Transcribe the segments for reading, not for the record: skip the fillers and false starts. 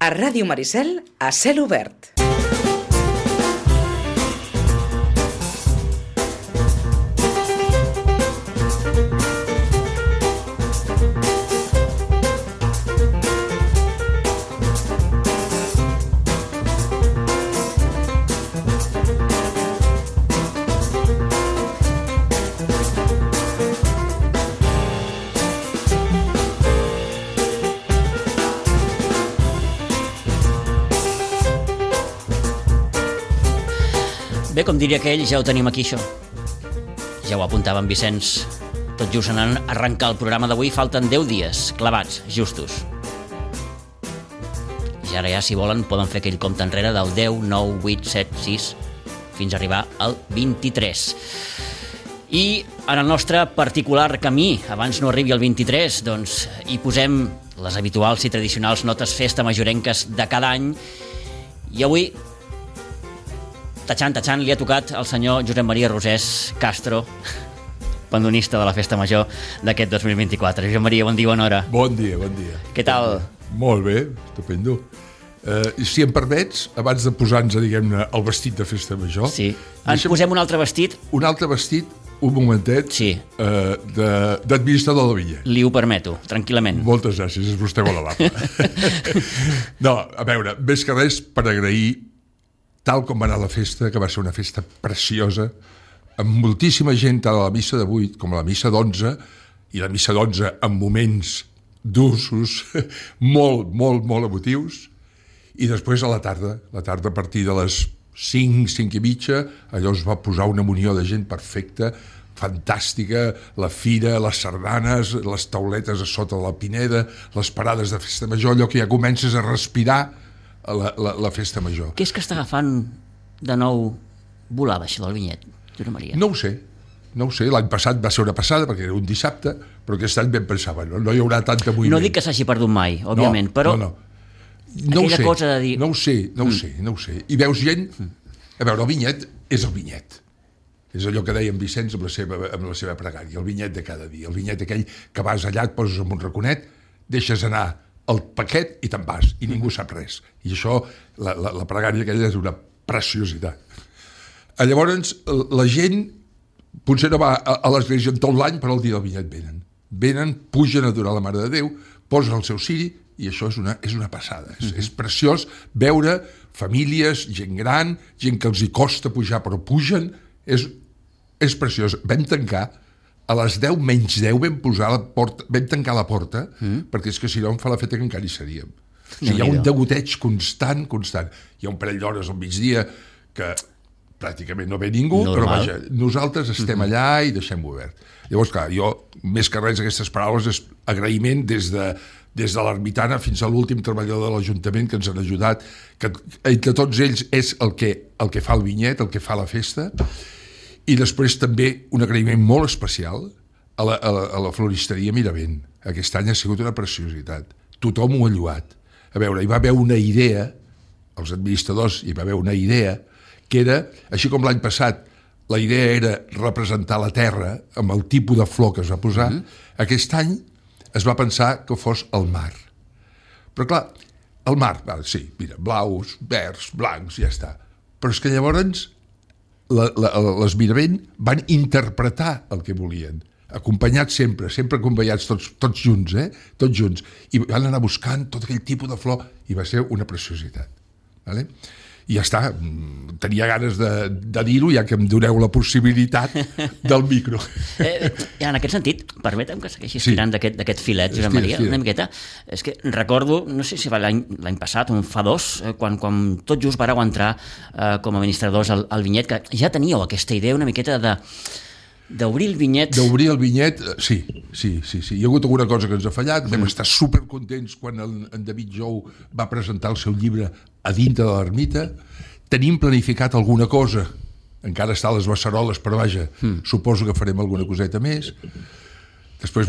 A Ràdio Maricel, a cel obert. Bé, com diria aquell, ja ho tenim aquí, això. Ja ho apuntava en Vicenç. Tot just anant a arrencar el programa d'avui, falten 10 dies, clavats, justos. I ara ja, si volen, poden fer aquell compte enrere del 10, 9, 8, 7, 6, fins a arribar al 23. I en el nostre particular camí, abans no arribi al 23, doncs hi posem les habituals i tradicionals notes festa majorenques de cada any. I avui, Tachant, li ha tocat al senyor Josep Maria Rosés Castro, bandonista de la Festa Major d'aquest 2024. Josep Maria, bon dia, bona hora. Bon dia, bon dia. Què tal? Molt bé, estupendo. Si em permets, abans de posar-nos, diguem-ne, el vestit de Festa Major... Sí. Ens posem un altre vestit? Un altre vestit, un momentet, sí. D'administrador de vinya. Li ho permeto, tranquil·lament. Moltes gràcies, és vostè molt amable. No, a veure, més que res per agrair tal com va anar la festa, que va ser una festa preciosa, amb moltíssima gent, tant a la missa de 8 com a la missa d'11, i la missa d'11 amb moments d'usos molt emotius, i després a la tarda a partir de les 5 i mitja, allò es va posar una munió de gent perfecta, fantàstica, la fira, les sardanes, les tauletes a sota de la Pineda, les parades de Festa Major, allò que ja comences a respirar la Festa Major. Què és que està agafant de nou volada, això del vinyet, Josep Maria? No ho sé. L'any passat va ser una passada, perquè era un dissabte, però aquest any ben pensava, no hi haurà tanta moviment. No dic que s'hagi perdut mai, òbviament, però aquella cosa de dir... No ho sé. I veus gent... A veure, el vinyet és el vinyet. És allò que deia en Vicenç amb la seva pregària, el vinyet de cada dia, el vinyet aquell que vas allà, et poses en un raconet, deixes anar el paquet i te'n vas, i ningú sap res. I això, la pregària aquella és una preciositat. Llavors, la gent potser no va a l'església en tot l'any, però el dia del vinyet venen, pugen a adorar la Mare de Déu, posen el seu ciri, i això és una passada. És preciós veure famílies, gent gran, gent que els hi costa pujar però pugen, és preciós. Vam tancar a les 10 menys 10 vam tancar la porta, perquè és que si no em fa la feta que encara hi seríem. O sigui, hi ha un degoteig constant. Hi ha un parell d'hores al migdia que pràcticament no ve ningú, però vaja, nosaltres estem allà i deixem-ho obert. Llavors, clar, jo, més que res, aquestes paraules és agraïment des de l'ermitana fins a l'últim treballador de l'Ajuntament que ens han ajudat, que entre tots ells és el que fa el vinyet, el que fa la festa. I després també un agraïment molt especial a la floristeria Miravent. Aquest any ha sigut una preciositat. Tothom ho ha lloat. A veure, hi va haver una idea, els administradors hi va haver una idea, que era, així com l'any passat, la idea era representar la terra amb el tipus de flor que es va posar, aquest any es va pensar que fos el mar. Però clar, el mar, sí, mira, blaus, verds, blancs, ja està. Però és que llavors les Miravent van interpretar el que volien, acompanyats sempre acompanyats tots junts, tots junts, i van anar buscant tot aquell tipus de flor i va ser una preciositat, vale? I ja està, tenia ganes de dir-ho, ja que em doneu la possibilitat del micro. En aquest sentit, permetem que segueixis tirant d'aquest filet, Josep Maria, una miqueta. És que recordo, no sé si va l'any passat o fa 2, quan tot just vareu entrar com a administradors al vinyet, que ja teníeu aquesta idea una miqueta d'obrir el vinyet. D'obrir el vinyet, sí. Hi ha hagut alguna cosa que ens ha fallat. Vam estar supercontents quan en David Jou va presentar el seu llibre a dintre de l'ermita. Tenim planificat alguna cosa. Encara està a les beceroles, però vaja, suposo que farem alguna coseta més. Després,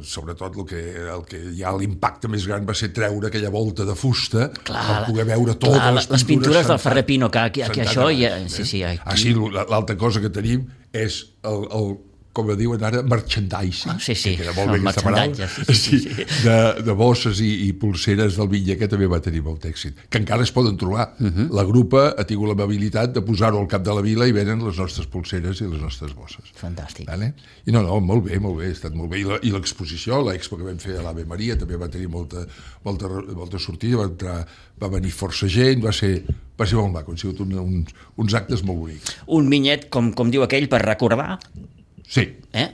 sobretot el que ja l'impacte més gran va ser treure aquella volta de fusta per poder veure totes les pintures del Ferrer Pino, que això... Sí, l'altra cosa que tenim és el com diuen ara, merchandising. Sí. Que era molt bé aquesta paraula. Sí. De bosses i pulseres del Vinya, que també va tenir molt èxit. Que encara es poden trobar. La grupa ha tingut l'amabilitat de posar-ho al cap de la vila i venen les nostres pulseres i les nostres bosses. Fantàstic. Vale? I no, molt bé, ha estat molt bé. I l'exposició, l'expo que vam fer a l'Ave Maria, també va tenir molta sortida, va venir força gent, va ser molt maco, han sigut uns actes molt bonics. Un vinyet, com diu aquell, per recordar. Sí.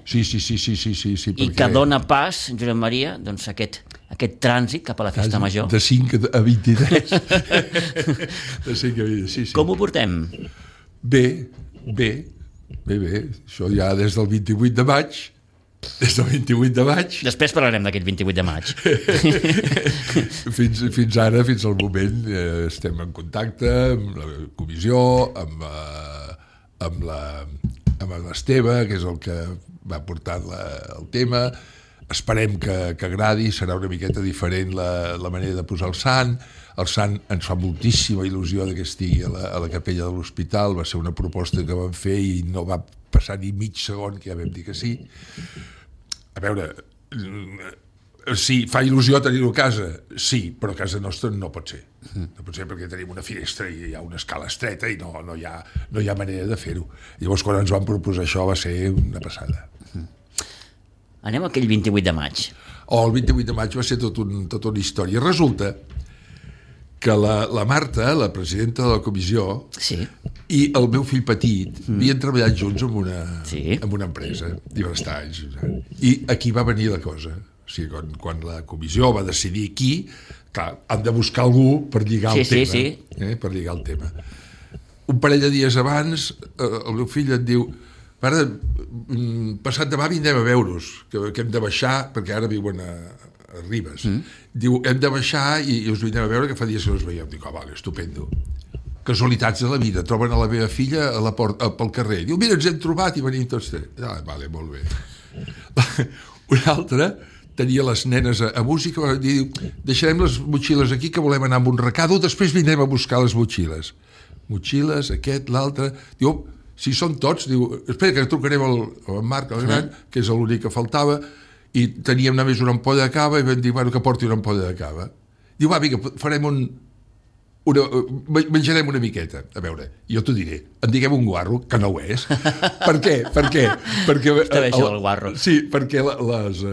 Sí. I que dona pas, Josep Maria, doncs aquest trànsit cap a la festa major. De 5 a 23. De 5 a 23, sí. Com ho portem? Bé. Això ja des del 28 de maig. Després parlarem d'aquest 28 de maig. Fins ara, fins al moment, estem en contacte amb la comissió, amb l'Esteve, que és el que va portar el tema. Esperem que agradi, serà una miqueta diferent la manera de posar el sant. El sant ens fa moltíssima il·lusió que estigui a la capella de l'hospital, va ser una proposta que vam fer i no va passar ni mig segon que ja vam dir que sí. A veure, sí, fa il·lusió tenir-ho a casa, sí, però a casa nostra no pot ser. No pot ser perquè tenim una finestra i hi ha una escala estreta i no hi ha manera de fer-ho. Llavors, quan ens van proposar això, va ser una passada. Anem a aquell 28 de maig. El 28 de maig va ser tota una història. Resulta que la Marta, la presidenta de la comissió, sí, i el meu fill petit havien treballat junts en una empresa diversos anys. I aquí va venir la cosa. O sigui, quan la comissió va decidir qui, clar, han de buscar algú per lligar el tema. Sí. Per lligar el tema. Un parell de dies abans, el meu fill em diu: pare, passat demà vindrem a veure's, que hem de baixar, perquè ara viuen a Ribes. Diu, hem de baixar i us vindrem a veure, que fa dies que no us veiem. Dic, vale, estupendo. Casualitats de la vida, troben a la meva filla a la porta, pel carrer. Diu, mira, ens hem trobat i venim tots tres. Vale, molt bé. Un altre tenia les nenes a música, diu, deixarem les motxilles aquí, que volem anar amb un recado, després vindrem a buscar les motxilles. Motxilles, aquest, l'altre. Diu, si són tots, diu, espera, que trucarem al Marc, el gran, que és l'únic que faltava, i teníem només una ampolla de cava i vam dir, bueno, que porti una ampolla de cava. Diu, va, vinga, farem menjarem una miqueta. A veure, jo t'ho diré, en diguem un guarro, que no ho és. Per què? Perquè està bé això, el guarro. Sí, perquè les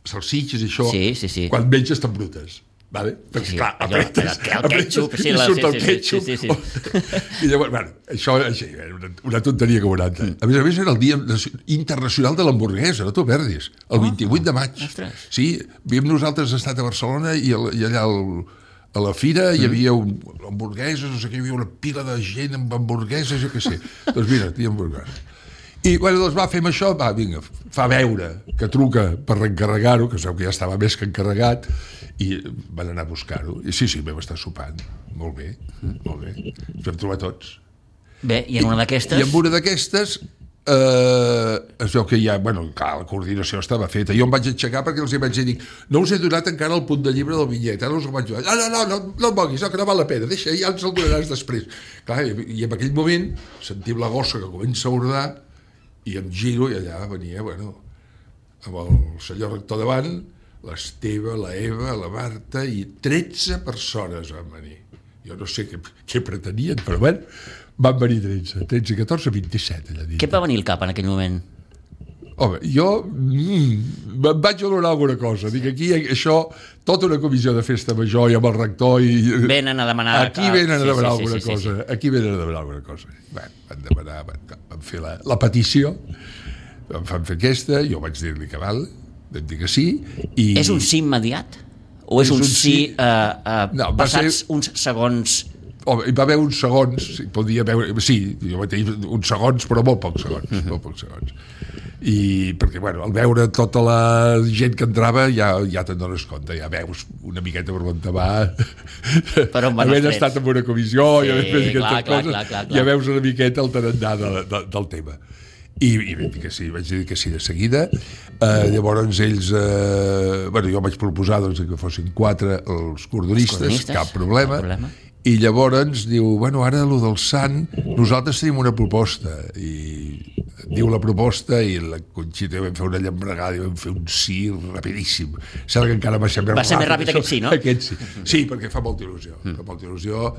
salsitxes i això, sí. quan menges estan brutes. Vale? Perquè, clar, apretes el ketchup, i surt el ketchup. I llavors, bueno, això era una tonteria que 40. A més, era el Dia Internacional de l'Hamburguesa, no t'ho perdis, el 28 de maig. Sí, nosaltres estat a Barcelona i allà a la fira hi havia hamburgueses, no sé què, hi havia una pila de gent amb hamburgueses, jo què sé. Doncs mira, hi ha hamburgueses. I, bueno, doncs va, fem això, va, vinga, fa veure que truca per reencarregar-ho, que sabeu que ja estava més que encarregat, i van anar a buscar-ho. I sí, vam estar sopant. Molt bé. Ens vam trobar tots. Bé, i en una d'aquestes? I en una d'aquestes es veu que ja, bueno, clar, la coordinació estava feta. Jo em vaig aixecar perquè els hi vaig dir, no us he donat encara el punt de llibre del bitllet, ara us el vaig donar. No em moguis, que no val la pena, deixa, ja ens el donaràs després. Clar, i en aquell moment sentim la gossa que comença a bordar i em giro i allà venia, bueno, amb el senyor rector davant, l'Esteve, la Eva, la Marta i 13 persones van venir. Jo no sé què pretenien, però bueno, van venir 13, 14, 27 allà dins. Què et va venir al cap en aquell moment? Home, jo em vaig adonar alguna cosa. Dic, aquí això, tota una comissió de festa major i amb el rector i... Venen a demanar... Aquí venen a demanar alguna cosa. Aquí venen a demanar alguna cosa. Bé, van demanar, van fer la petició, van fer aquesta, jo vaig dir-li que val, vam dir que sí, i... És un sí immediat? O és un sí passats uns segons... Hi va haver uns segons, podia veure, sí, jo vaig tenir uns segons, però molt pocs segons, molt pocs segons. I perquè, bueno, al veure tota la gent que entrava ja te'n dones compte, ja veus una miqueta per on te va, havent estat en una comissió, sí, i havent fet aquestes coses, clar. ja veus una miqueta el tarannà del tema. I vaig dir que sí de seguida. Llavors ells, jo vaig proposar que fossin 4 els cordonistes, cap problema. I llavors diu, bueno, ara lo del Sant, nosaltres tenim una proposta, i diu la proposta, i la Conxita vam fer una llambregada i vam fer un sí rapidíssim. Sembla que encara va ser més ràpid aquest sí, no? Aquest sí. Sí, perquè fa molta il·lusió. Fa molta il·lusió.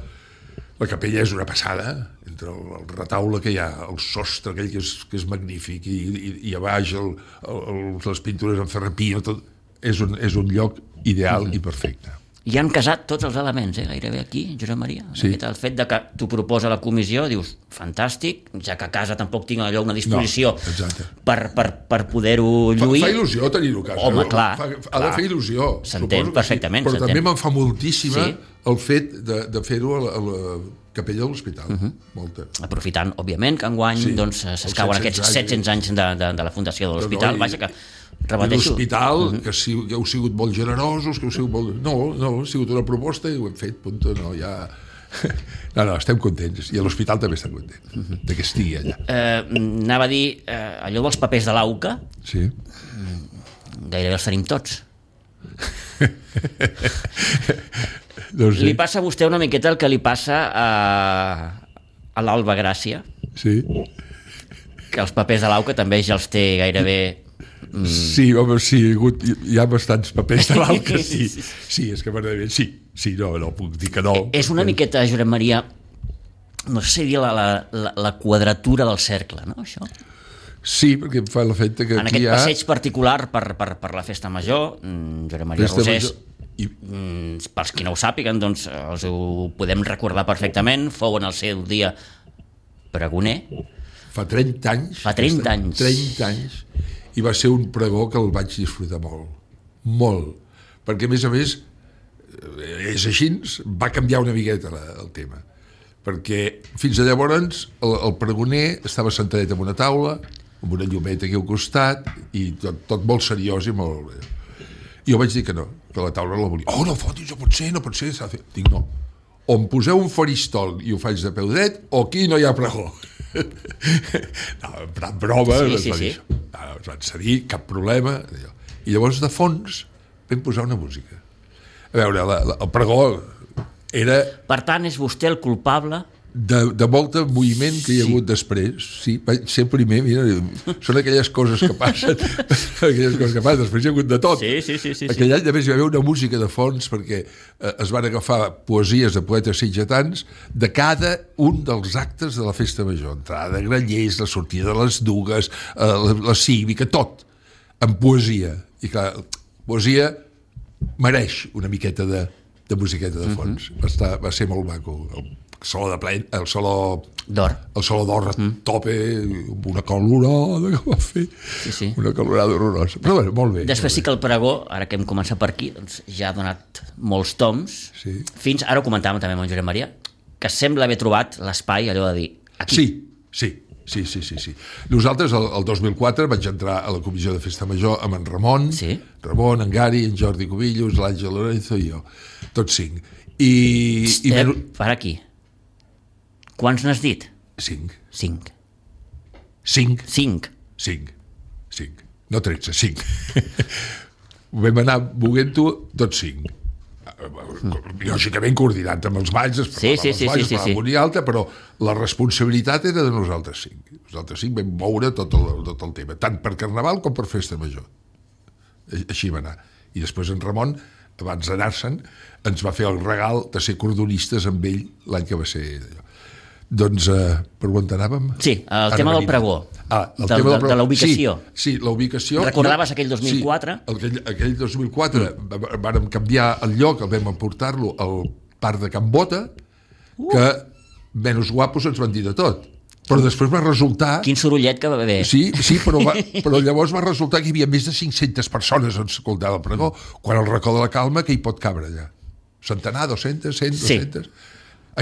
La capella és una passada, entre el retaule que hi ha, el sostre aquell que és magnífic, i a baix les pintures en ferrapia, tot, és un lloc ideal i perfecte. I han casat tots els elements, gairebé aquí, Josep Maria. Sí. El fet de que t'ho proposa la comissió, dius, fantàstic, ja que a casa tampoc tinc allò una disposició per poder-ho lluir. Fa il·lusió tenir-ho a casa. Home, clar. Ha de fer il·lusió. S'entén perfectament. Però també me'n fa moltíssima el fet de fer-ho a la capella de l'hospital. Molta. Aprofitant, òbviament, que enguany s'escauen aquests 700 anys de la fundació de l'hospital. Vaja, que repeteixo. L'hospital, que heu sigut molt generosos, que heu sigut molt... No, ha sigut una proposta i ho hem fet, punto, no, ja... No, estem contents, i a l'hospital també estem contents de que estigui allà. Anava a dir, allò dels papers de l'AUCA, sí. Gairebé els tenim tots. No sé. Li passa a vostè una miqueta el que li passa a l'Alba Gràcia, sí. Que els papers de l'AUCA també ja els té gairebé... Sí, home, sí, hi ha bastants papers de l'AUCA, sí. Sí, és que m'agradaria... Sí, no puc dir que no. És una miqueta, Josep Maria, no sé si dir la quadratura del cercle, no, això? Sí, perquè em fa l'efecte que en aquí aquest hi ha... passeig particular per la Festa Major, Josep Maria Rosés, pels qui no ho sàpiguen, doncs els ho podem recordar perfectament, fou en el seu dia pregoner. Fa 30 anys. Fa 30 anys. 30 anys. I va ser un pregó que el vaig disfrutar molt, perquè a més és així, va canviar una miqueta el tema, perquè fins a llavors el pregoner estava sentadet en una taula amb una llumeta aquí al costat i tot molt seriós i molt bé. I jo vaig dir que no, que la taula la volia. No fotis, no pot ser, s'ha de fer. Dic no, o em poseu un faristol i ho faig de peu dret o aquí no hi ha pregó. No, en broma sí. Ens van cedir, cap problema. I llavors de fons vam posar una música. A veure, el pregó era... Per tant, és vostè el culpable de molt moviment que hi ha hagut després. Sí, vaig ser primer, mira, són aquelles coses que passen, després hi ha hagut de tot. Sí. Aquell any, a més, hi va haver una música de fons perquè es van agafar poesies de poetes sitgetans de cada un dels actes de la Festa Major. Entrada de grallers, la sortida de les dugues, la cívica, tot, en poesia. I clar, poesia mereix una miqueta de musiqueta de fons. Va ser molt maco. El saló d'or a tope, amb una calorada que va fer, una calorada horrorosa, però bé, molt bé. Després sí que el pregó, ara que hem començat per aquí, doncs ja ha donat molts toms, fins ara ho comentàvem també amb en Josep Maria, que sembla haver trobat l'espai allò de dir aquí. Sí. Nosaltres el 2004 vaig entrar a la comissió de Festa Major amb en Ramon, en Gari, en Jordi Cubillos, l'Àngel Lorenzo i jo, tots 5. Per aquí. Quants n'has dit? 5. 5. No 13, 5. Vam anar buguent-ho tots 5. Lògicament coordinant amb els balls, amunt i alta, però la responsabilitat era de nosaltres 5. Nosaltres 5 vam moure tot el tema, tant per Carnaval com per Festa Major. Així va anar. I després en Ramon, abans d'anar-se'n, ens va fer el regal de ser cordonistes amb ell l'any que va ser allò. Doncs, per on anàvem? Sí, el tema del pregó, de la ubicació. Sí, la ubicació. Recordaves aquell 2004? Sí, aquell 2004 vàrem canviar el lloc, el vam emportar-lo al parc de Can Bota, que menys guapos ens van dir de tot. Però després va resultar... Quin sorollet que va haver. Sí, però llavors va resultar que hi havia més de 500 persones on s'escoltava el pregó, quan el racó de la Calma que hi pot cabre allà. Centenar, 200, 100, 200...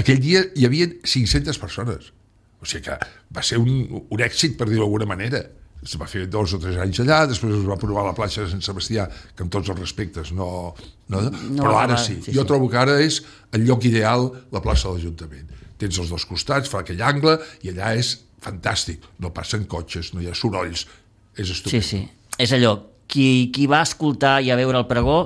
Aquell dia hi havia 500 persones. O sigui que va ser un èxit, per dir-ho d'alguna manera. Es va fer 2 o 3 anys allà, després es va provar a la platja de Sant Sebastià, que amb tots els respectes no però ara sí. Jo trobo que ara és el lloc ideal, la plaça de l'Ajuntament. Tens els dos costats, fa aquell angle, i allà és fantàstic. No passen cotxes, no hi ha sorolls, és estupend. Sí. És allò, qui va escoltar i a veure el pregó,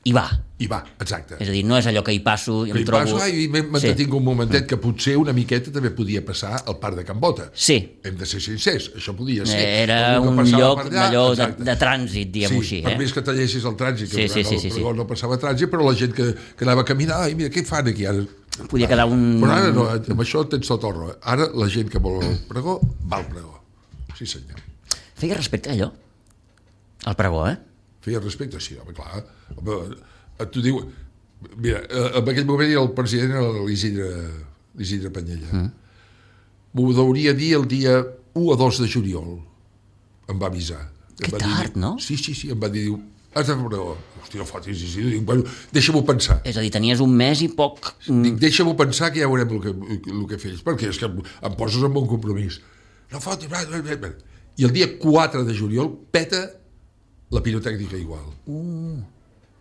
hi va. I va, exacte. És a dir, no és allò que hi passo i em trobo... I m'entretinc un momentet que potser una miqueta també podia passar al Parc de Can Bota. Sí. Hem de ser sincers, això podia ser. Era un lloc d'allò de trànsit, diguem-ho així. Per més que tallessis el trànsit, que sí. no passava trànsit, però la gent que anava a caminar, ai, mira, què fan aquí ara? Podia quedar un... Però ara no, amb això tens tot el raó. Ara la gent que vol el pregó, va al pregó. Sí, senyor. Feia respecte a allò? Al pregó, Feia respecte, sí, home, clar. Home, tu diu... Mira, en aquell moment el president era l'Isidre Panyella. M'ho hauria dir el dia 1 o 2 de juliol. Em va avisar. Que tard, no? Sí, em va dir, has de fer pregó. Hòstia, no fotis, Isidre. Bueno, deixa-m'ho pensar. És a dir, tenies un mes i poc... Dic, deixa-m'ho pensar que ja veurem el que fes. Perquè és que em poses en un compromís. No fotis, i el dia 4 de juliol peta la pirotècnica igual.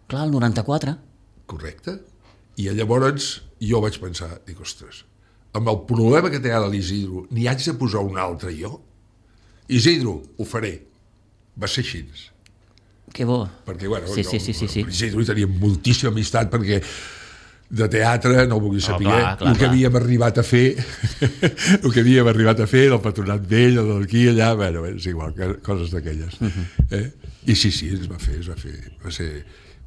Clar, el 94. Correcte. I llavors jo vaig pensar, dic, ostres, amb el problema que té ara l'Isidro, n'hi haig de posar un altre jo? Isidro, ho faré. Va ser així. Que bo. Perquè, bueno, sí. l'Isidro hi tenia moltíssima amistat perquè de teatre no ho vulgui saber el que havíem arribat a fer el que havíem arribat a fer del Patronat Vell, d'aquí, allà, bueno, és igual, coses d'aquelles. I sí, es va fer. Va ser...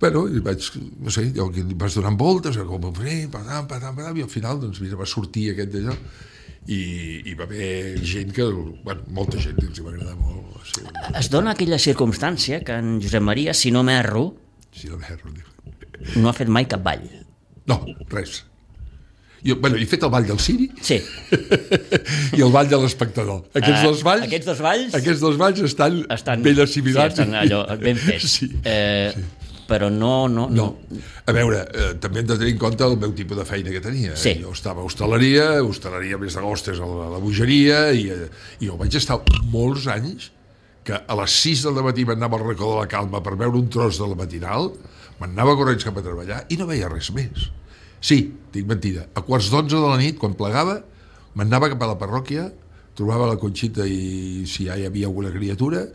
Bueno, vaig, no sé, jo vaig donant voltes, com ho faré, i al final, doncs, mira, va sortir aquest d'allò, i va haver gent que, bueno, molta gent que els va agradar molt. Sí. Es dona aquella circumstància que en Josep Maria, si no m'erro, no ha fet mai cap ball. No, res. Jo, bueno, he fet el ball del Ciri i el ball de l'espectador. Aquests dos balls estan ben assimilats. Sí, estan allò, ben fets. Sí. Però no. A veure, també hem de tenir en compte el meu tipus de feina que tenia. Sí. Jo estava a hostaleria més d'agost és a la bogeria, i jo vaig estar molts anys que a les 6 del matí m'anava al racó de la Calma per veure un tros de la matinal, m'anava corrents cap a treballar i no veia res més. Sí, dic mentida, a 11:15 de la nit, quan plegava, m'anava cap a la parròquia, trobava la Conxita i si ja hi havia alguna criatura,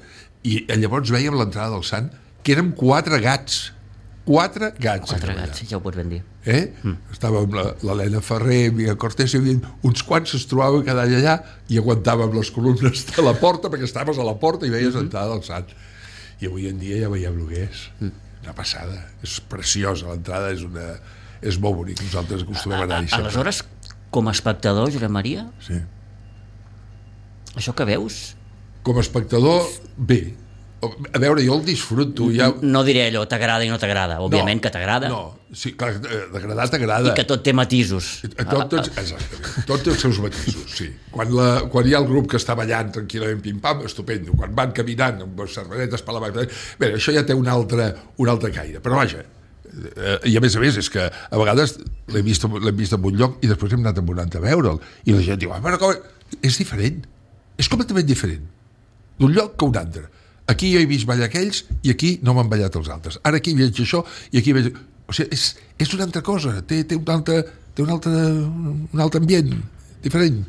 i llavors veiem l'entrada del sant, que érem 4 gats. 4 gats. 4 gats, ja ho pots ben dir. Estava amb l'Helena Ferrer, Miguel Cortés, hi havia uns quants que es trobaven cada any allà i aguantàvem les columnes de la porta, perquè estaves a la porta i veies l'entrada del sant. I avui en dia ja veiem el que és. Una passada. És preciosa, l'entrada és molt bonic. Nosaltres acostumem a anar-hi sempre. Aleshores, com a espectador, Josep Maria, sí. Això que veus? Com a espectador, bé. A veure, jo el disfruto. No diré allò, t'agrada i no t'agrada. Òbviament que t'agrada. No, sí, clar, d'agradar t'agrada. I que tot té matisos. Exactament, tot té els seus matisos, sí. Quan hi ha el grup que està ballant tranquil·lament pim-pam, estupendo. Quan van caminant amb les cervesetes per la mà... Bé, això ja té un altre caire. Però vaja, i a més, és que a vegades l'hem vist en un lloc i després hem anat a un altre a veure'l. I la gent diu, és diferent. És completament diferent d'un lloc que un altre. Aquí jo he vist ballar aquells i aquí no m'han ballat els altres. Ara aquí veig això i aquí veig... O sigui, és una altra cosa, té un altre ambient diferent.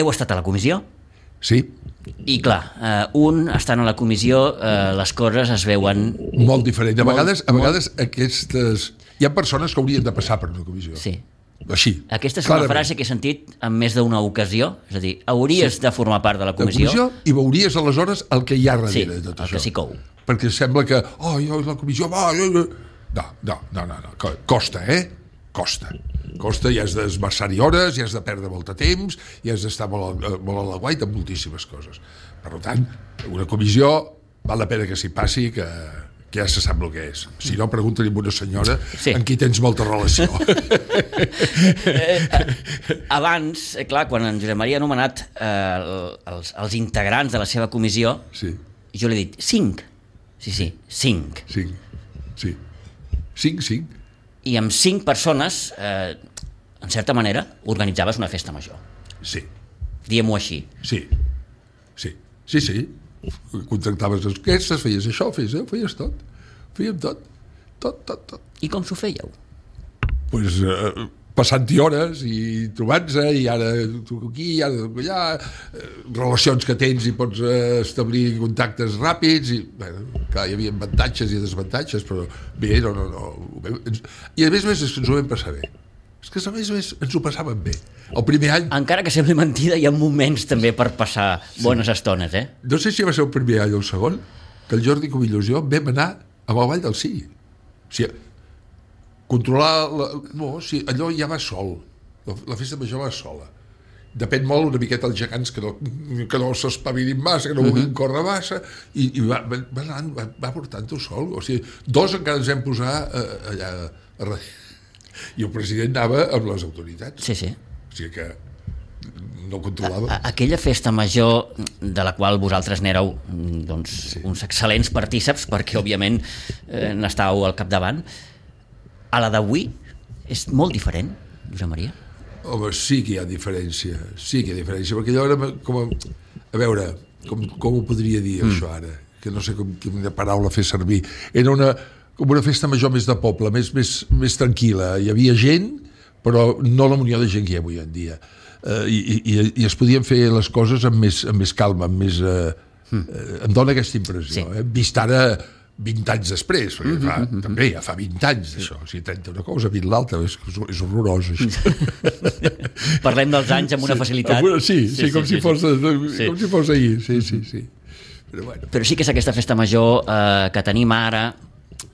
Heu estat a la comissió? Sí. I clar, estant a la comissió, les coses es veuen... Molt diferent. A vegades aquestes... Hi ha persones que haurien de passar per una comissió. Sí. Així. Aquesta és una frase que he sentit en més d'una ocasió, és a dir, hauries de formar part de la comissió i veuries aleshores el que hi ha darrere de tot això. Sí, el que s'hi cou. Perquè sembla que, la comissió va... No, costa, Costa, i has d'esmerçar-hi hores, i has de perdre molt de temps, i has d'estar molt a la guaita amb moltíssimes coses. Per tant, una comissió val la pena que s'hi passi, que ja se sap el que és. Si no, pregunta-li a una senyora amb qui tens molta relació. Abans, clar, quan en Josep Maria ha anomenat els integrants de la seva comissió, jo l'he dit 5. Sí, 5. 5. I amb 5 persones, en certa manera, organitzaves una festa major. Sí. Diguem-ho així. Sí. Contractaves les orquestres, feies això, feies tot. Fèiem tot. I com s'ho fèieu? Pues, passant-hi hores i trobant-se, i ara truco aquí, i ara truco allà, relacions que tens i pots establir contactes ràpids, i bueno, clar, hi havia avantatges i desavantatges, però bé, no. I a més ens ho vam passar bé. És que a més ens ho passàvem bé. El primer any... Encara que sembli mentida, hi ha moments també per passar bones estones, eh? No sé si va ser el primer any o el segon, que el Jordi Cubillos i jo vam anar a la Vall del Sí. O sigui, controlar... No, o sigui, allò ja va sol. La festa major va sola. Depèn molt una miqueta els gegants que no s'espavilin massa, que no vulguin córrer massa, i va portant-ho sol. O sigui, 2 encara ens vam posar allà a darrere. I el president anava amb les autoritats. Sí. O sigui que no controlava. Aquella festa major de la qual vosaltres n'éreu uns excel·lents partíceps, perquè òbviament n'estàveu al capdavant, a la d'avui és molt diferent, Josep Maria? Home, sí que hi ha diferència, perquè allò era com a veure, com ho podria dir això ara, que no sé quina paraula fer servir. Era com una festa major més de poble, més tranquil·la. Hi havia gent, però no la munió de gent que hi ha avui en dia. I es podien fer les coses amb més calma, amb més... Em dóna aquesta impressió, vist ara 20 anys després, perquè també ja fa 20 anys d'això, o sigui, 30 una cosa, 20 l'altra, és horrorós això. Parlem dels anys amb una facilitat. Sí, com si fos ahir, sí. Però sí que és aquesta festa major que tenim ara,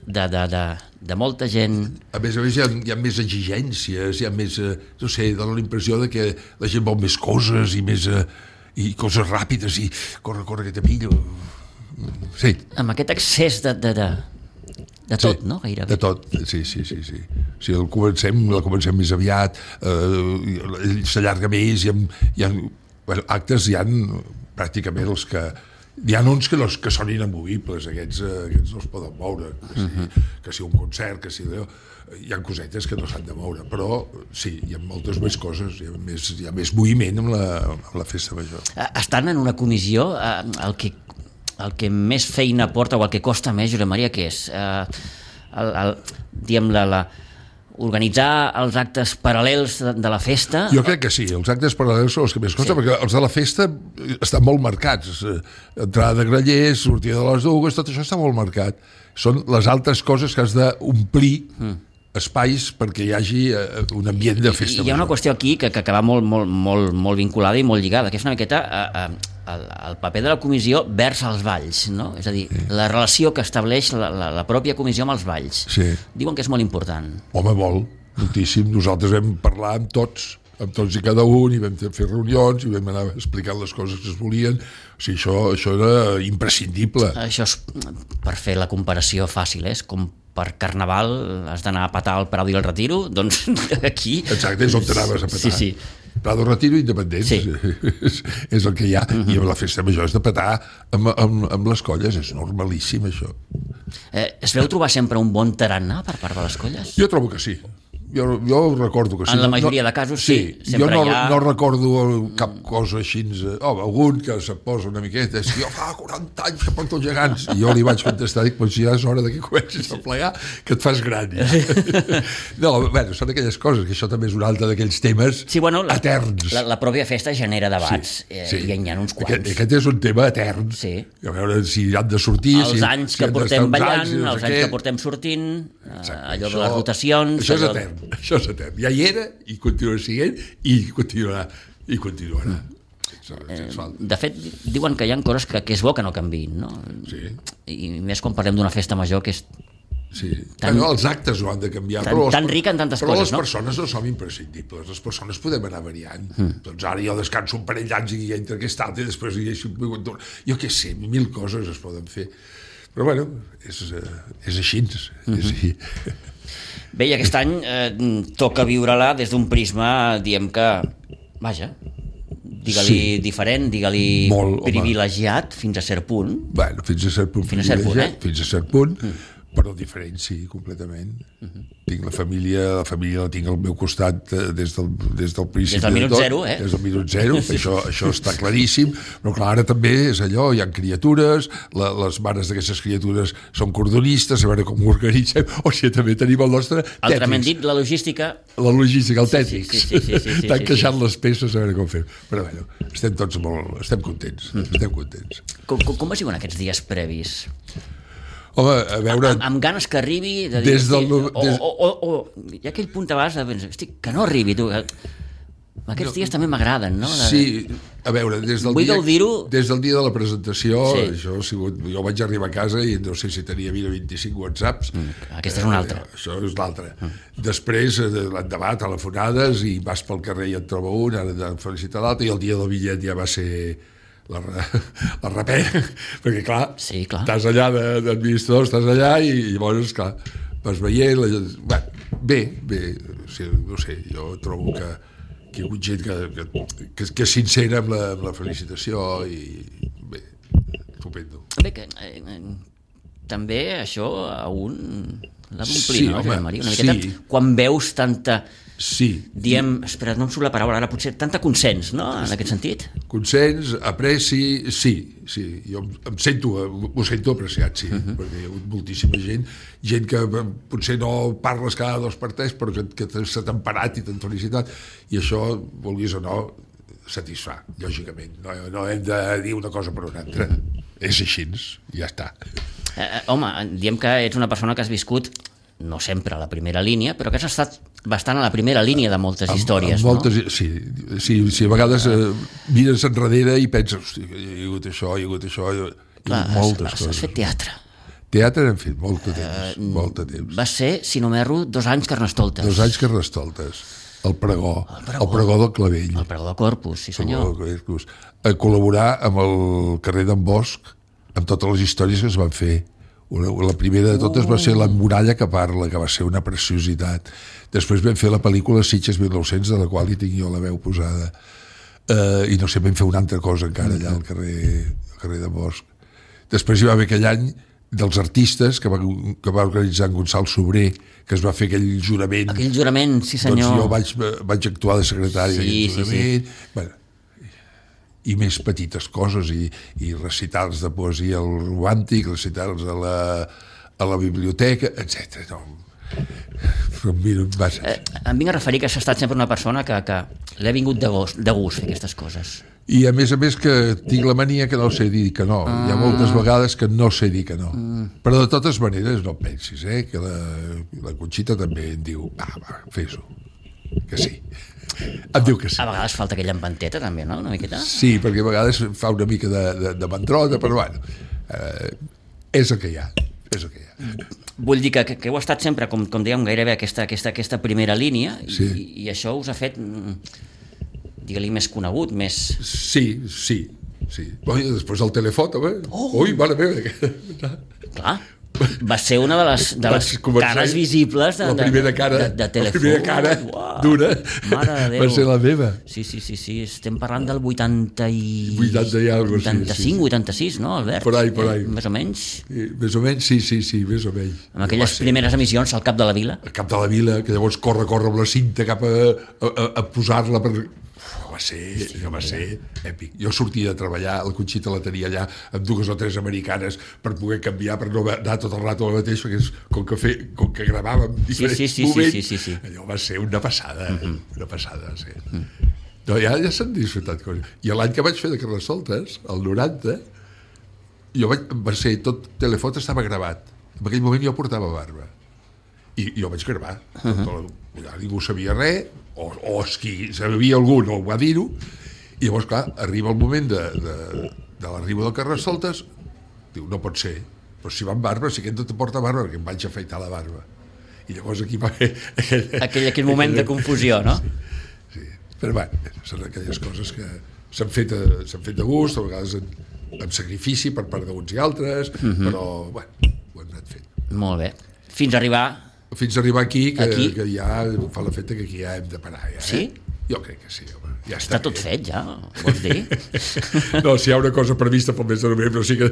de molta gent. A més hi ha més exigències, hi ha més, no sé, dona la impressió de que la gent vol més coses i coses ràpides i corre que te pillo. Sí. Amb aquest excés de tot, no? Gairebé. De tot, sí. O sigui, la comencem més aviat, s'allarga més, hi ha actes, hi ha pràcticament els que... Hi ha uns que són inamovibles, aquests no es poden moure, que si un concert, que si allò, hi ha cosetes que no s'han de moure, però sí, hi ha moltes més coses, hi ha més moviment amb la festa major. Estan en una comissió, el que més feina porta o el que costa més, Josep Maria, què és? Organitzar els actes paral·lels de la festa? Jo crec que sí, els actes paral·lels són els que més costa, perquè els de la festa estan molt marcats. Entrada de grallers, sortida de les dues, tot això està molt marcat. Són les altres coses que has d'omplir espais perquè hi hagi un ambient de festa. Hi ha una qüestió aquí que va molt vinculada i molt lligada, que és una miqueta el paper de la comissió vers els balls, no? És a dir, la relació que estableix la pròpia comissió amb els balls. Sí. Diuen que és molt important. Home, moltíssim. Nosaltres vam parlar amb tots i cada un, i vam fer reunions, i vam anar explicant les coses que es volien. O sigui, això era imprescindible. Això és, per fer la comparació fàcil, és com per Carnaval has d'anar a petar al Prado i el Retiro, doncs aquí... Exacte, és on t'anaves a petar. Sí. Prado, Retiro i Independents. Sí. És el que hi ha. I amb la festa major és de petar amb les colles, és normalíssim això. Es veu trobar sempre un bon tarannà per part de les colles? Jo trobo que sí. Jo recordo que sí. En la majoria de casos sí. Jo no recordo cap cosa així. Algun que se posa una miqueta, és que jo fa 40 anys que porto els gegants. I jo li vaig contestar, dic, doncs ja és hora que comencis a plegar, que et fas gran. No, bueno, són aquelles coses, que això també és un altre d'aquells temes eterns. La pròpia festa genera debats, i hi ha uns quants. Aquest és un tema etern. Sí. A veure si han de sortir... Els anys que portem ballant, els anys que portem sortint, allò de les rotacions... Això és etern. Això és etern. Ja hi era i continua sent i continuarà. De fet, diuen que hi ha coses que és bo que no canviïn, no? Sí. I més quan parlem d'una festa major que és els actes no han de canviar, tan rica en tantes però coses, les persones no som imprescindibles, les persones podem anar variant. Doncs ara jo descanso un parell d'anys i entre aquest altre i després jo què sé, 1000 coses es poden fer, però bueno, és així. Bé, i aquest any toca viure-la des d'un prisma, diem que, vaja, digue-li diferent, digue-li privilegiat fins a cert punt. Bueno, fins a cert punt privilegiat, fins a cert punt, Però diferent, sí, completament. Tinc la família la tinc al meu costat des del principi. Des del minut zero, eh? Des del minut zero, això està claríssim, però clar, ara també és allò, hi ha criatures, les mares d'aquestes criatures són cordonistes, a veure com ho organitzem, o sigui, també tenim el nostre Tetris. Altrament dit, la logística, el Tetris. Sí, T'han queixat les peces, a veure com fer. Però bueno, estem tots estem contents, estem contents. Com va ser aquests dies previs? Home, a veure... Amb ganes que arribi... De dir, des del... O hi ha aquell punt abans de pensar, hosti, que no arribi, tu. Aquests dies també m'agraden, no? Sí, a veure, des del dia de la presentació, això ha sigut... Jo vaig arribar a casa i no sé si tenia 25 whatsapps. Aquesta és una altra. Això és l'altra. Després, l'endemà, telefonades, i vas pel carrer i et troba un, ara de felicitar l'altre, i el dia del bitllet ja va ser... la rapé, perquè clar, estàs allà d'administrador, estàs allà i llavors, clar, vas veient bé, no sé, jo trobo que hi ha hagut gent que és sincera amb la felicitació i bé, estupendo. Bé, que també això a un l'ha d'omplir, no, Josep Maria? Una miqueta, quan veus tanta... Sí. Diem, espera, no em surt la paraula ara, potser tanta consens, no?, en aquest sentit. Consens, apreci, sí, jo m'ho sento apreciat, sí, perquè hi ha hagut moltíssima gent que potser no parles cada 2 per 3, però que s'ha temperat i t'han felicitat, i això, vulguis o no, satisfà, lògicament. No hem de dir una cosa per una altra. És així, ja està. Home, diem que ets una persona que has viscut no sempre a la primera línia, però que has estat bastant a la primera línia de moltes històries, no? Sí, a vegades mires enrere i penses, hosti, hi ha hagut això, Clar, moltes coses. Has fet teatre. Teatre hem fet molt de temps. Va ser, si no m'erro, 2 anys Carnestoltes. 2 anys Carnestoltes. El pregó del Clavell. El pregó del Corpus, sí senyor. A col·laborar amb el carrer d'en Bosch, amb totes les històries que es van fer. La primera de totes va ser La muralla que parla, que va ser una preciositat. Després vam fer la pel·lícula Sitges 1900, de la qual hi tinc jo la veu posada. I no sé, vam fer una altra cosa encara allà al carrer de Bosch. Després hi va haver aquell any dels artistes que va organitzar en Gonçal Sobrer, que es va fer aquell jurament. Aquell jurament, sí senyor. Doncs jo vaig actuar de secretari d'aquell jurament. Bueno, i més petites coses, i recitals de poesia al romàntic, recitals a la biblioteca, etc. Em vinc a referir que has estat sempre una persona que l'ha vingut de gust fer aquestes coses. I a més que tinc la mania que no sé dir que no. Hi ha moltes vegades que no sé dir que no. Però de totes maneres no pensis, que la Conxita també em diu, va, fes-ho, que sí. Em diu que sí. A vegades falta aquella empanteta també, no? Una miqueta? Sí, perquè a vegades fa una mica de mandrota, però bueno, és el que hi ha. Vull dir que heu estat sempre, com dèiem, gairebé aquesta primera línia, i això us ha fet, digue-li, més conegut, més... Sí. Després el telefot, home. Ui, mare meva. Clar. Va ser una de les cares visibles la primera cara dura va ser la meva. Sí, estem parlant del 80 i 85, 86, no, Albert? Por ahí. Més o menys? Més o menys, sí, més o menys. Amb aquelles primeres emissions al Cap de la Vila? Al Cap de la Vila, que llavors corre amb la cinta cap a posar-la per... va ser èpic. Jo sortia de treballar, la Conxita la tenia allà amb 2 o 3 americanes per poder canviar, per no anar tot el rato a la mateixa, que és com que gravàvem diferents moments. Sí. Allò va ser una passada, una passada, sí. No, ja s'han disfrutat coses. I l'any que vaig fer de Carnestoltes, el 90, va ser tot Telefot estava gravat. En aquell moment jo portava barba. I jo vaig gravar. Ningú sabia res, o qui sabia algú no ho va dir-ho, i llavors, clar, arriba el moment de l'arribo del Carnestoltes, diu, no pot ser, però si va amb barba, si aquest no te porta barba, perquè em vaig afaitar la barba. I llavors aquí va haver... Aquell moment de confusió, no? Sí. Però bé, són aquelles coses que s'han fet de gust, a vegades amb sacrifici per part d'uns i altres, però, bueno, ho hem anat fent. Molt bé. Fins a arribar aquí, que ja fa l'efecte que aquí ja hem de parar. Ja, Sí? Jo crec que sí, home. Ja Està tot bé. fet, ja, vols dir? No, si hi ha una cosa prevista pel mes de novembre, o sigui que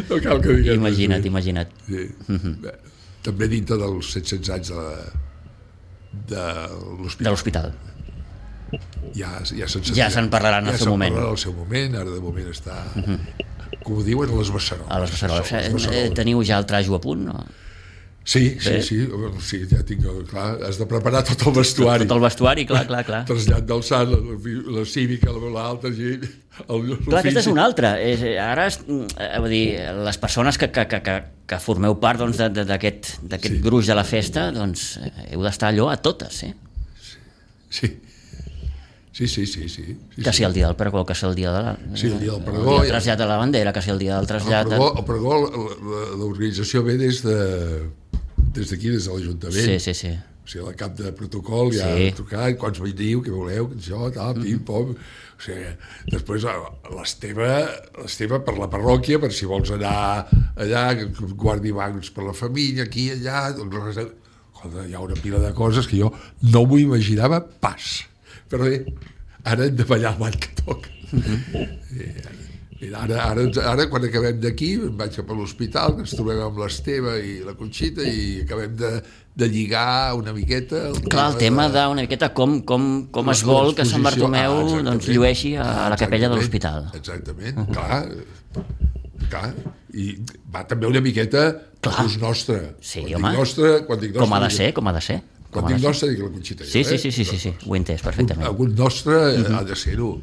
no cal que diguem. Imagina't. Sí. Bé, també dintre dels 700 anys de l'hospital. Ja se'n parlarà en el seu moment. Ja se'n parlarà en el seu moment, ara de moment està, com ho diuen, a les Beceroles. A les Beceroles. Teniu ja el trajo a punt, no? Sí, ja tinc, clar, has de preparar tot el vestuari. Tot el vestuari, clar. Trasllat del Sant, la cívica, l'altra, clar, aquesta és una altra. Ara, vull dir, les persones que formeu part d'aquest gruix de la festa, doncs heu d'estar allò a totes, eh? Sí. Que si el dia del pregó, que si el dia el dia del pregó, el trasllat de la bandera, que si el dia del trasllat... El pregó, l'organització ve des d'aquí, des de l'Ajuntament. Sí. O sigui, la cap de protocol ja ha trucat, quants veniu, què voleu, això, tal, pim, pom... O sigui, després l'Esteve per la parròquia, per si vols anar allà, guardi bancs per la família, aquí, allà... Hi ha una pila de coses que jo no m'ho imaginava pas. Però bé, ara hem de ballar el ball que toca. Ara, quan acabem d'aquí, em vaig cap a l'hospital, ens trobem amb l'Esteve i la Conxita i acabem de lligar una miqueta... Clar, el tema d'una miqueta com es vol que Sant Bartomeu llueixi a la capella de l'hospital. Exactament, clar. I va també una miqueta l'ús nostre. Sí, home, com ha de ser. Quan dic nostre, dic la Conxita. Sí, ho he entès perfectament. Algun nostre ha de ser-ho.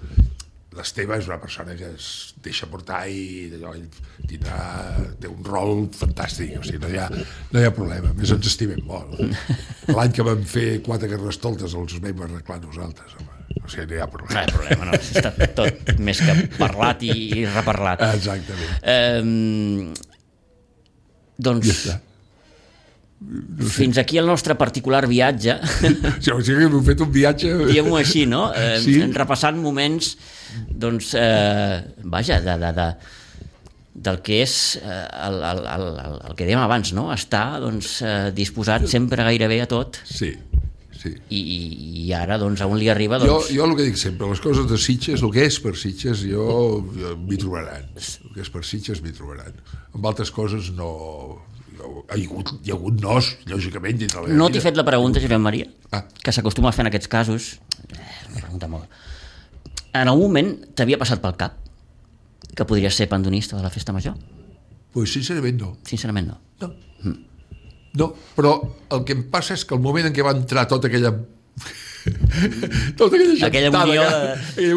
L'Esteve és una persona que es deixa portar i té un rol fantàstic, o sigui, no hi ha problema, a més ens estimem molt. L'any que vam fer 4 carnestoltes els vam arreglar nosaltres, home. O sigui, no hi ha problema. No hi ha problema, no. Està tot més que parlat i reparlat. Exactament. Doncs... Fins aquí el nostre particular viatge. Sí, o sigui que hem fet un viatge... Diguem-ho així, no? Repassant moments, doncs, vaja, del que és el que dèiem abans, no? Estar disposat sempre gairebé a tot. Sí. I ara, doncs, a on li arriba... Jo el que dic sempre, les coses de Sitges, el que és per Sitges, m'hi trobaran. El que és per Sitges m'hi trobaran. Amb altres coses no... Hi ha hagut nos, lògicament, dintre la vida. No t'he fet la pregunta, Josep Maria, que s'acostuma a fer en aquests casos. Una pregunta molt... En algun moment t'havia passat pel cap que podries ser pandonista de la festa major? Pues sincerament no. Sincerament no. No, però el que em passa és que el moment en què va entrar tota aquella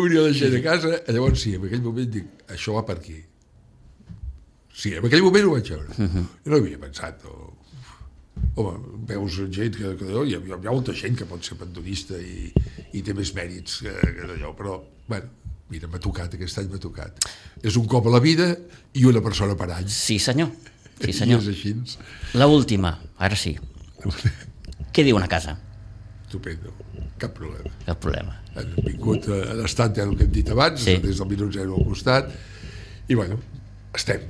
unió de gent a casa, llavors sí, en aquell moment dic, això va per aquí. Sí, en aquell moment ho vaig veure. Jo no havia pensat. Home, veus gent que hi ha molta gent que pot ser pandonista i té més mèrits que allò, però, bueno, mira, m'ha tocat, aquest any m'ha tocat. És un cop a la vida i una persona per any. Sí, senyor. I és així. L'última, ara sí. Què diuen a casa? Estupendo, cap problema. Cap problema. Han vingut a l'estat, el que hem dit abans, des del minut 0 al costat, i bueno, estem.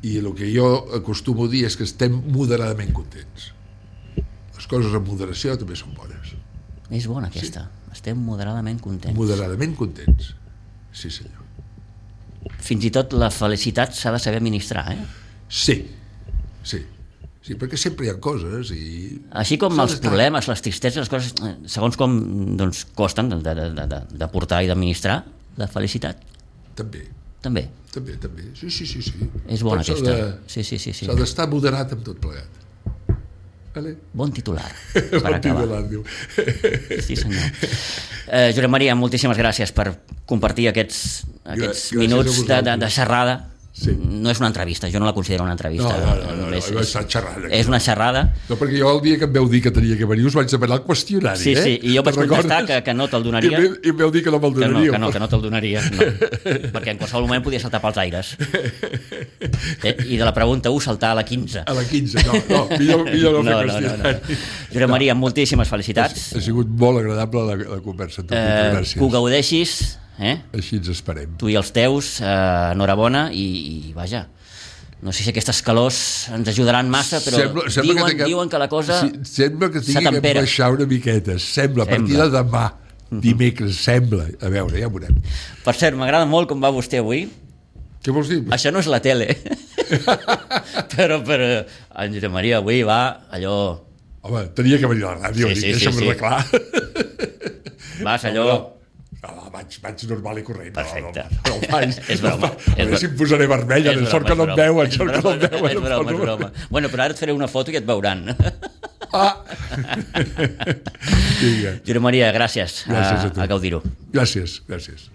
I el que jo acostumo a dir és que estem moderadament contents. Les coses amb moderació també són bones. És bona aquesta. Estem moderadament contents. Moderadament contents. Sí, senyor. Fins i tot la felicitat s'ha de saber administrar, eh? Sí, perquè sempre hi ha coses i... Així com els problemes, les tristesa, les coses, segons com costen de portar i d'administrar, la felicitat. També. Sí. És bona aquesta. Sí. S'ha d'estar moderat amb tot plegat. Vale? Bon titular per acabar. Sí, senyor. Josep Maria, moltíssimes gràcies per compartir aquests minuts de xerrada. Sí. No és una entrevista, jo no la considero una entrevista. No, és una xerrada. No, perquè jo el dia que em veu dir que tenia que venir us vaig demanar el qüestionari. Sí, i jo vaig contestar que no te'l donaria. I em veu dir que no me'l donaria. Que no te'l donaria, no. Perquè en qualsevol moment podia saltar pels aires. I de la pregunta 1 saltar a la 15. A la 15, no, millor no fer qüestionari. Josep Maria, moltíssimes felicitats. Ha sigut molt agradable la conversa amb tu. Gràcies. Que ho gaudeixis. Així ens esperem. Tu i els teus, enhorabona i vaja, No sé si aquestes calors ens ajudaran massa, però diuen que la cosa sembla que tingui que baixar una miqueta. Sembla, a partir de demà, dimecres, sembla. A veure, ja ho veurem. Per cert, m'agrada molt com va vostè avui. Què vols dir? Això no és la tele. però en Josep Maria avui va allò... Home, tenia que venir a la ràdio, deixa'm-ho clar. Vas allò... Vaig normal i corrent. Perfecte. No vaig. És broma. A veure si em posaré vermell, sort que no em veuen. És broma. Bueno, però ara et faré una foto i et veuran. Josep Maria, gràcies. Gràcies a tu. A gaudir-ho. Gràcies.